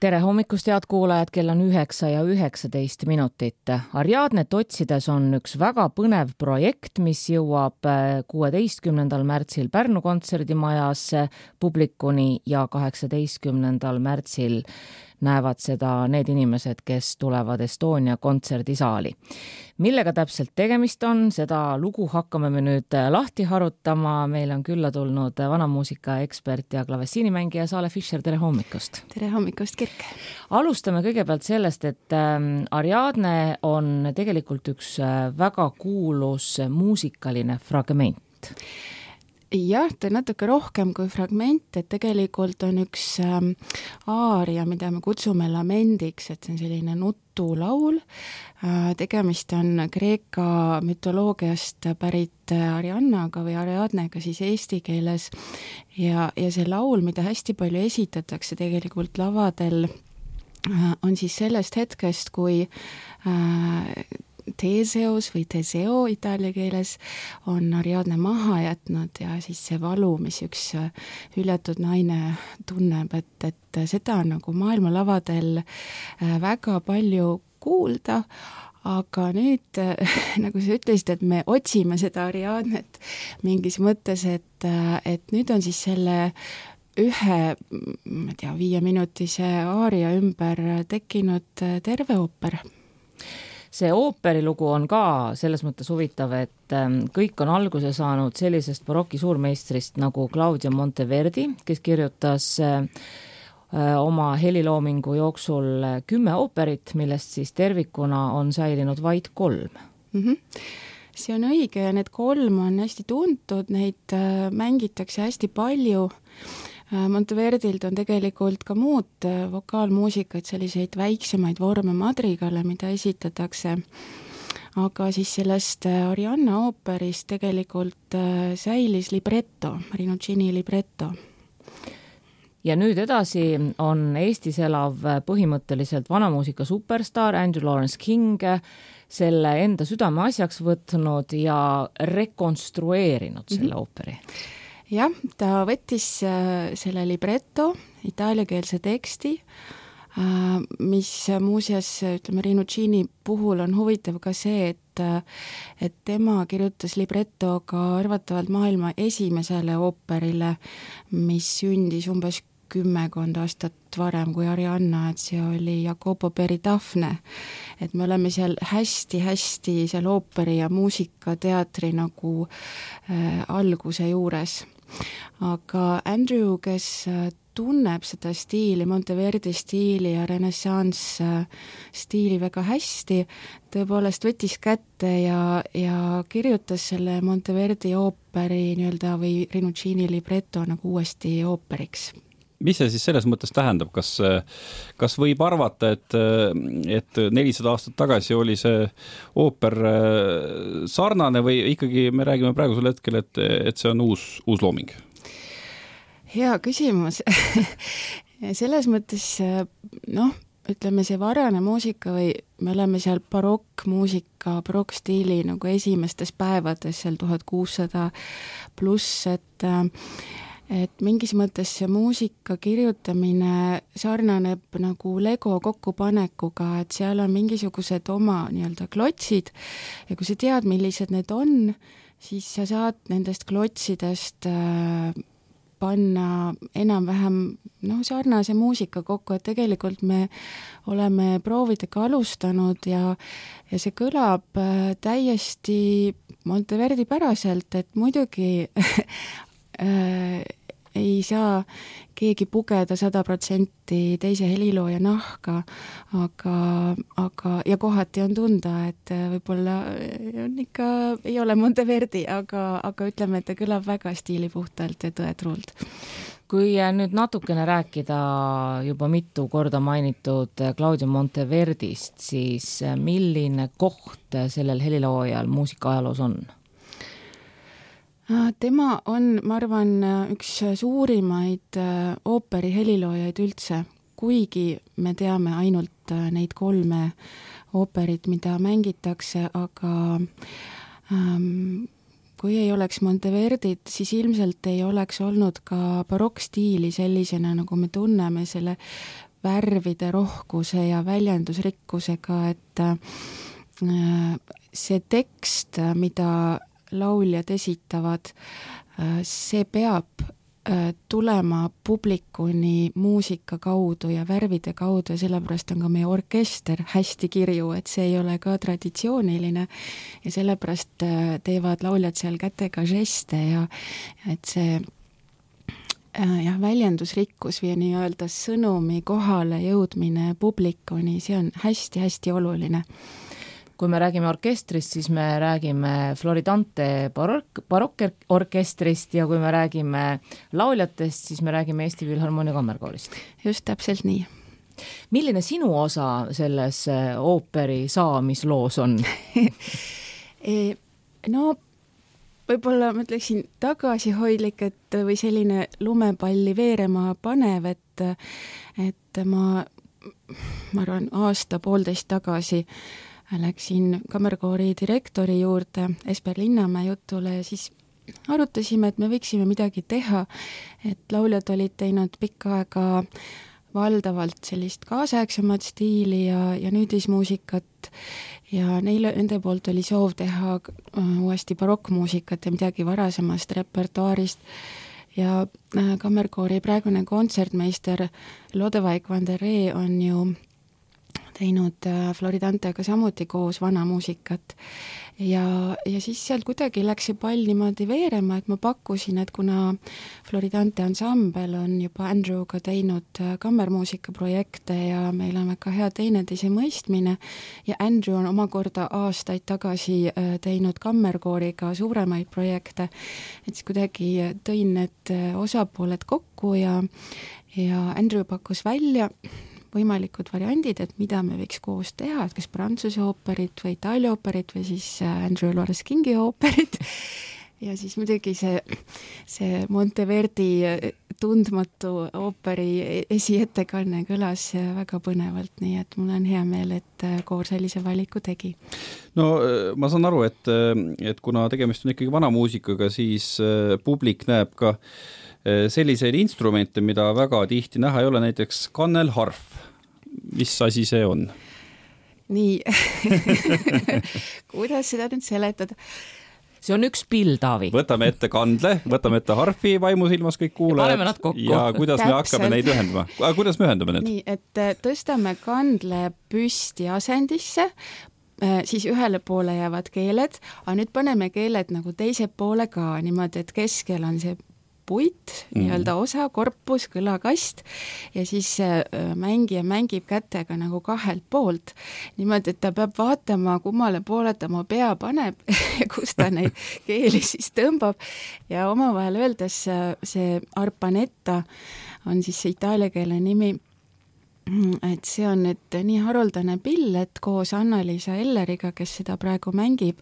Tere hommikust, head kuulajad, kell on 9:19. Ariadnet otsides on üks väga põnev projekt, mis jõuab 16. märtsil Pärnu kontserdimajas publikuni ja 18. märtsil näevad seda need inimesed, kes tulevad Estonia kontserdisaali. Millega täpselt tegemist on, seda lugu hakkame me nüüd lahti harutama. Meil on külla tulnud vanamuusika ekspert ja klavessiinimängija Saale Fischer. Tere hommikust! Tere hommikust, Kirk! Alustame kõigepealt sellest, et Ariadne on tegelikult üks väga kuulus muusikaline fragment. Jah, ta on natuke rohkem kui fragment, et tegelikult on üks aaria, mida me kutsume lamendiks, et see on selline nutulaul. Tegemist on Kreeka mütoloogiast pärit Ariannaga või Ariadnega siis eesti keeles ja see laul, mida hästi palju esitatakse tegelikult lavadel, on siis sellest hetkest, kui Theseus või Teseo itaalia keeles on Ariadne maha jätnud ja siis see valu, mis üks hüljatud naine tunneb, et seda on nagu maailmalavadel väga palju kuulda, aga nüüd, nagu sa ütlesid, et me otsime seda Ariadnet mingis mõttes, et nüüd on siis selle ühe, 5-minutise aaria ümber tekkinud terve ooper. See ooperilugu on ka selles mõttes huvitav, et kõik on alguse saanud sellisest baroki suurmeistrist nagu Claudio Monteverdi, kes kirjutas oma heliloomingu jooksul 10 ooperit, millest siis tervikuna on säilinud vaid 3. See on õige ja need 3 on hästi tuntud, neid mängitakse hästi palju. Monteverdilt on tegelikult ka muud vokaalmuusikaid, selliseid väiksemaid vorme madrigale, mida esitatakse. Aga siis sellest Arianna ooperist tegelikult säilis libretto, Rinuccini libretto. Ja nüüd edasi on Eestis elav põhimõtteliselt vanamuusika superstar Andrew Lawrence King selle enda südame asjaks võtnud ja rekonstrueerinud selle ooperi. Jah, ta võttis selle libretto, itaaliakeelse teksti, mis muuseas, ütleme, Rinuccini puhul on huvitav ka see, et tema kirjutas libretto ka arvatavalt maailma esimesele ooperile, mis sündis umbes 10 aastat varem kui Arianna, et see oli Jacopo Peridafne. Et me oleme seal hästi seal ooperi ja muusikateatri nagu alguse juures. Aga Andrew, kes tunneb seda stiili, Monteverdi stiili ja renessanss stiili väga hästi, tõepoolest võttis kätte ja kirjutas selle Monteverdi ooperi nii-öelda või Rinuccini libretto nagu uuesti ooperiks. Mis see siis selles mõttes tähendab? Kas võib arvata, et 400 aastat tagasi oli see ooper sarnane või ikkagi me räägime praegusel hetkel, et see on uus looming? Hea küsimus. Selles mõttes, ütleme see varane muusika või me oleme seal barokkmuusika, barokkstiili nagu esimestes päevades, seal 1600 pluss, et mingis mõttes see muusika kirjutamine sarnaneb nagu Lego kokkupanekuga, et seal on mingisugused oma nii-öelda klotsid ja kui sa tead, millised need on, siis sa saad nendest klotsidest panna enam-vähem sarnase muusika kokku, et tegelikult me oleme proovidega alustanud ja see kõlab täiesti Monteverdi päraselt, et muidugi ei saa keegi pugeda 100% teise helilooja nahka, aga ja kohati on tunda, et võib-olla on ikka, ei ole Monteverdi, aga ütleme, et ta kõlab väga stiilipuhtalt ja tõetruult. Kui nüüd natukene rääkida juba mitu korda mainitud Claudio Monteverdist, siis milline koht sellel heliloojal muusikaajaloos on? Tema on, ma arvan, üks suurimaid ooperi heliloojaid üldse, kuigi me teame ainult neid 3 ooperit, mida mängitakse, aga kui ei oleks Monteverdit, siis ilmselt ei oleks olnud ka barokkstiili sellisena, nagu me tunneme selle värvide rohkuse ja väljendusrikkusega, et see tekst, mida lauljad esitavad, see peab tulema publikuni muusika kaudu ja värvide kaudu ja sellepärast on ka meie orkester hästi kirju, et see ei ole ka traditsiooniline ja sellepärast teevad lauljad seal kätega žeste ja et see väljendusrikkus või nii-öelda sõnumi kohale jõudmine publikuni, see on hästi-hästi oluline. Kui me räägime orkestrist, siis me räägime Floridante barokkorkestrist ja kui me räägime lauljatest, siis me räägime Eesti Filharmoonia Kammerkoorist. Just täpselt nii. Milline sinu osa selles ooperi saamisloos on? No, võib-olla ma ütleksin tagasihoidlik, või selline lumepalli veerema panev, et ma arvan, aasta-poolteist tagasi läksin kammerkoori direktori juurde Esper Linnamäe jutule ja siis arutasime, et me võiksime midagi teha, et lauljad olid teinud pikka aega valdavalt sellist kaasaegsemat stiili ja nüüdismuusikat ja nende poolt oli soov teha uuesti barokkmuusikat ja midagi varasemast repertuaarist ja kammerkoori praegune kontsertmeister Lodewijk van der Ree on ju teinud Floridantega samuti koos vana muusikat ja siis sealt kuidagi läks see pall niimoodi veerema, et ma pakkusin, et kuna Floridante ansambel on juba Andrewga teinud kammermuusika projekte ja meil on väga hea teineteise mõistmine ja Andrew on omakorda aastaid tagasi teinud kammerkooriga suuremaid projekte, et siis kuidagi tõin need osapooled kokku ja Andrew pakkus välja võimalikud variandid, et mida me võiks koos teha, et kas Prantsuse ooperit või Itaalia ooperit või siis Andrew Lawrence Kingi ooperit ja siis muidugi see Monteverdi tundmatu ooperi esiettekanne kõlas väga põnevalt, nii et mul on hea meel, et koor sellise valiku tegi. No ma saan aru, et kuna tegemist on ikkagi vana muusikaga, siis publik näeb ka selliseid instrumente, mida väga tihti näha ei ole, näiteks kannelharf. Mis asi see on? Nii, kuidas seda nüüd seletada? See on üks pill, Taavi. Võtame ette kandle, võtame ette harfi vaimusilmas kõik kuulajad ja kuidas me hakkame neid ühendama? Kuidas me ühendame need? Nii, et tõstame kandle püsti asendisse, siis ühele poole jäävad keeled, aga nüüd paneme keeled nagu teise poole ka, niimoodi, et keskel on see puit, nii-öelda osa, korpus, kõlakast ja siis mängija mängib kätega nagu kahelt poolt. Niimoodi, et ta peab vaatama, kummale poole ta oma pea paneb ja kus ta neid keeli siis tõmbab ja omavahel öeldes see arpanetta on siis see itaalia keele nimi, et see on nüüd nii haruldane pill, et koos Anna-Liisa Elleriga, kes seda praegu mängib,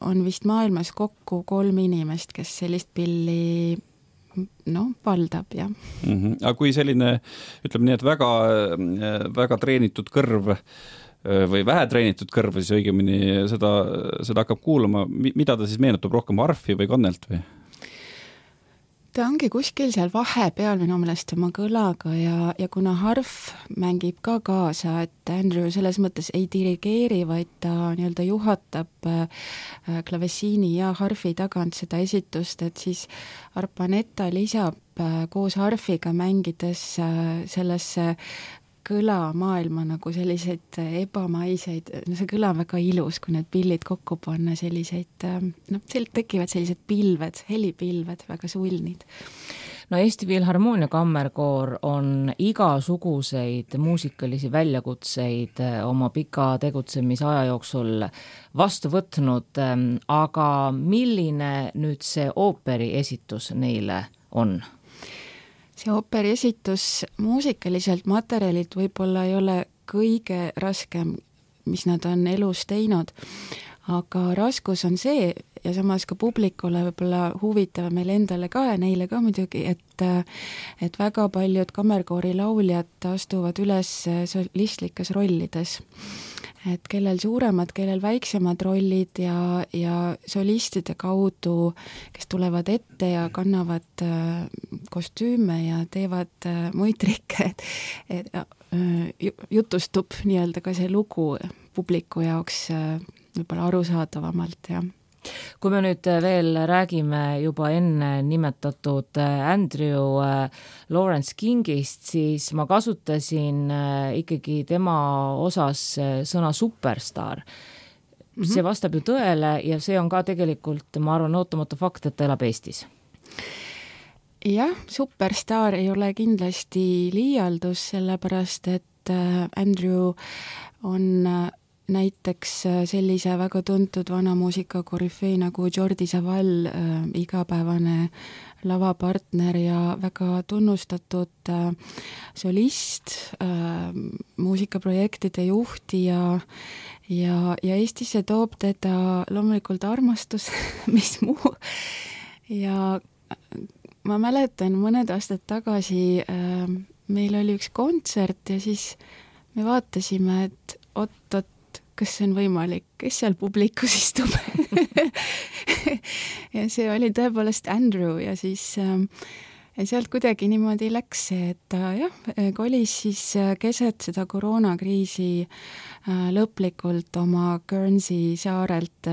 on vist maailmas kokku 3 inimest, kes sellist pilli valdab, jah. Aga kui selline, ütleme nii, et väga treenitud kõrv või vähe treenitud kõrv, siis õigemini seda hakkab kuulama, mida ta siis meenutab rohkem harfi või kannelt või? Ta ongi kuskil seal vahepeal minu meelest oma kõlaga ja kuna harf mängib ka kaasa, et Andrew selles mõttes ei dirigeeri, vaid ta nii-öelda juhatab klavessiini ja harfi tagant seda esitust, et siis arpanetta lisab koos harfiga mängides sellesse kõlamaailma nagu selliseid ebamaiseid, see kõla on väga ilus, kui need pillid kokku panna selliseid, tekivad sellised pilved, helipilved, väga sulnid. No Eesti Filharmoonia Kammerkoor on igasuguseid muusikalisi väljakutseid oma pika tegutsemisaja jooksul vastu võtnud, aga milline nüüd see ooperi esitus neile on? See ooperi esitus muusikaliselt materjalilt võib-olla ei ole kõige raskem, mis nad on elus teinud, aga raskus on see, samas ka publikule võib-olla huvitav meil endale ka ja neile ka muidugi, et väga paljud kammerkoori lauljad astuvad üles solistlikes rollides. Et kellel suuremad, kellel väiksemad rollid ja solistide kaudu, kes tulevad ette ja kannavad kostüüme ja teevad muid trikke, et jutustub nii-öelda ka see lugu publiku jaoks võib-olla arusaadavamalt, jah. Kui me nüüd veel räägime juba enne nimetatud Andrew Lawrence Kingist, siis ma kasutasin ikkagi tema osas sõna superstar. See vastab ju tõele ja see on ka tegelikult, ma arvan, ootamatu fakt, et ta elab Eestis. Jah, superstar ei ole kindlasti liialdus, sellepärast et Andrew on näiteks sellise väga tuntud vanamuusika korüfee nagu Jordi Savall, igapäevane lavapartner ja väga tunnustatud solist, muusikaprojektide juhti ja Eestisse toob teda loomulikult armastus, mis muu. Ja ma mäletan mõned aastad tagasi meil oli üks kontsert ja siis me vaatasime, et oot, kas see on võimalik, kes seal publikus istub. Ja see oli tõepoolest Andrew ja siis sealt kuidagi niimoodi läks see, et ta kolis siis keset seda koroonakriisi lõplikult oma Guernsey saarelt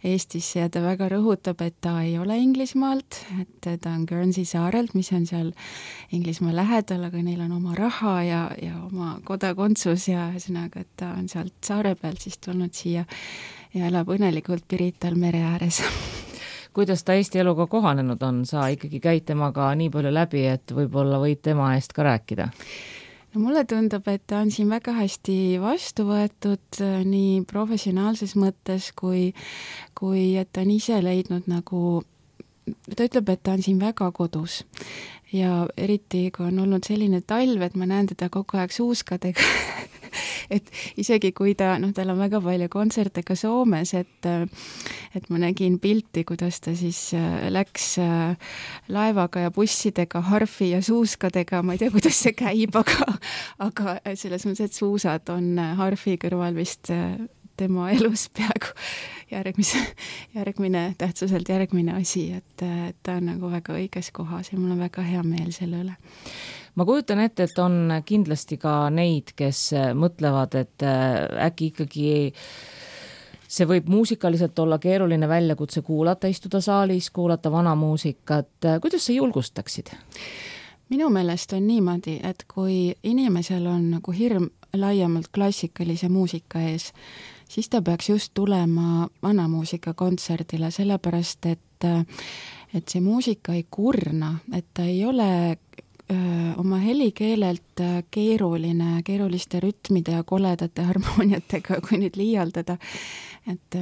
Eestisse ja ta väga rõhutab, et ta ei ole Inglismaalt, et ta on Guernsey saarelt, mis on seal Inglismaa lähedal, aga neil on oma raha ja oma kodakondsus ja ühesõnaga, et ta on sealt saare pealt siis tulnud siia ja elab õnnelikult Pirital mere ääres. Kuidas ta Eesti eluga kohanenud on? Sa ikkagi käid temaga nii palju läbi, et võib-olla võid tema eest ka rääkida? No mulle tundub, et ta on siin väga hästi vastu võetud nii professionaalses mõttes, kui et ta on ise leidnud nagu, ta ütleb, et ta on siin väga kodus. Ja eriti, kui on olnud selline talv, et ma näen teda kogu aeg suuskadega, et isegi kui tal on väga palju kontserte ka Soomes, et ma nägin pilti, kuidas ta siis läks laevaga ja bussidega, harfi ja suuskadega, ma ei tea, kuidas see käib, aga selles mõttes, et suusad on harfi kõrval vist tema elus peaaegu järgmine tähtsuselt järgmine asi, et ta on nagu väga õiges kohas ja mul on väga hea meel selle üle. Ma kujutan ette, et on kindlasti ka neid, kes mõtlevad, et äkki ikkagi see võib muusikaliselt olla keeruline väljakutse kuulata, istuda saalis, kuulata vana muusikat. Kuidas sa julgustaksid? Minu meelest on niimoodi, et kui inimesel on nagu hirm laiemalt klassikalise muusika ees, siis ta peaks just tulema vanamuusika kontserdile, sellepärast, et see muusika ei kurna, et ta ei ole oma helikeelelt keeruliste rütmide ja koledate harmooniatega, kui nüüd liialdada, et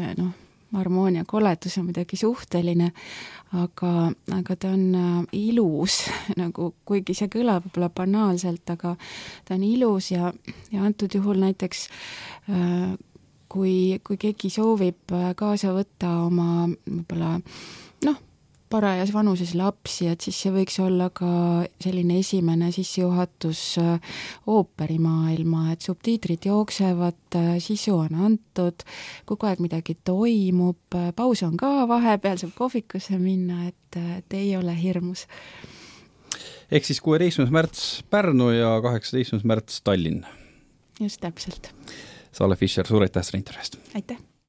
harmoonia koledus on midagi suhteline, aga ta on ilus, nagu, kuigi see kõlab võib-olla banaalselt, aga ta on ilus ja antud juhul näiteks kui keegi soovib kaasa võtta oma võib-olla parajas vanuses lapsi, et siis see võiks olla ka selline esimene sissejuhatus ooperimaailma, et subtiitrid jooksevad, sisu on antud, kogu aeg midagi toimub, paus on ka vahepeal, saab kohvikusse minna, et ei ole hirmus. Ehk siis 16. märts Pärnu ja 18. märts Tallinn. Just täpselt. Sale Fischer, suur aitäh selle intervjuust. Aitäh.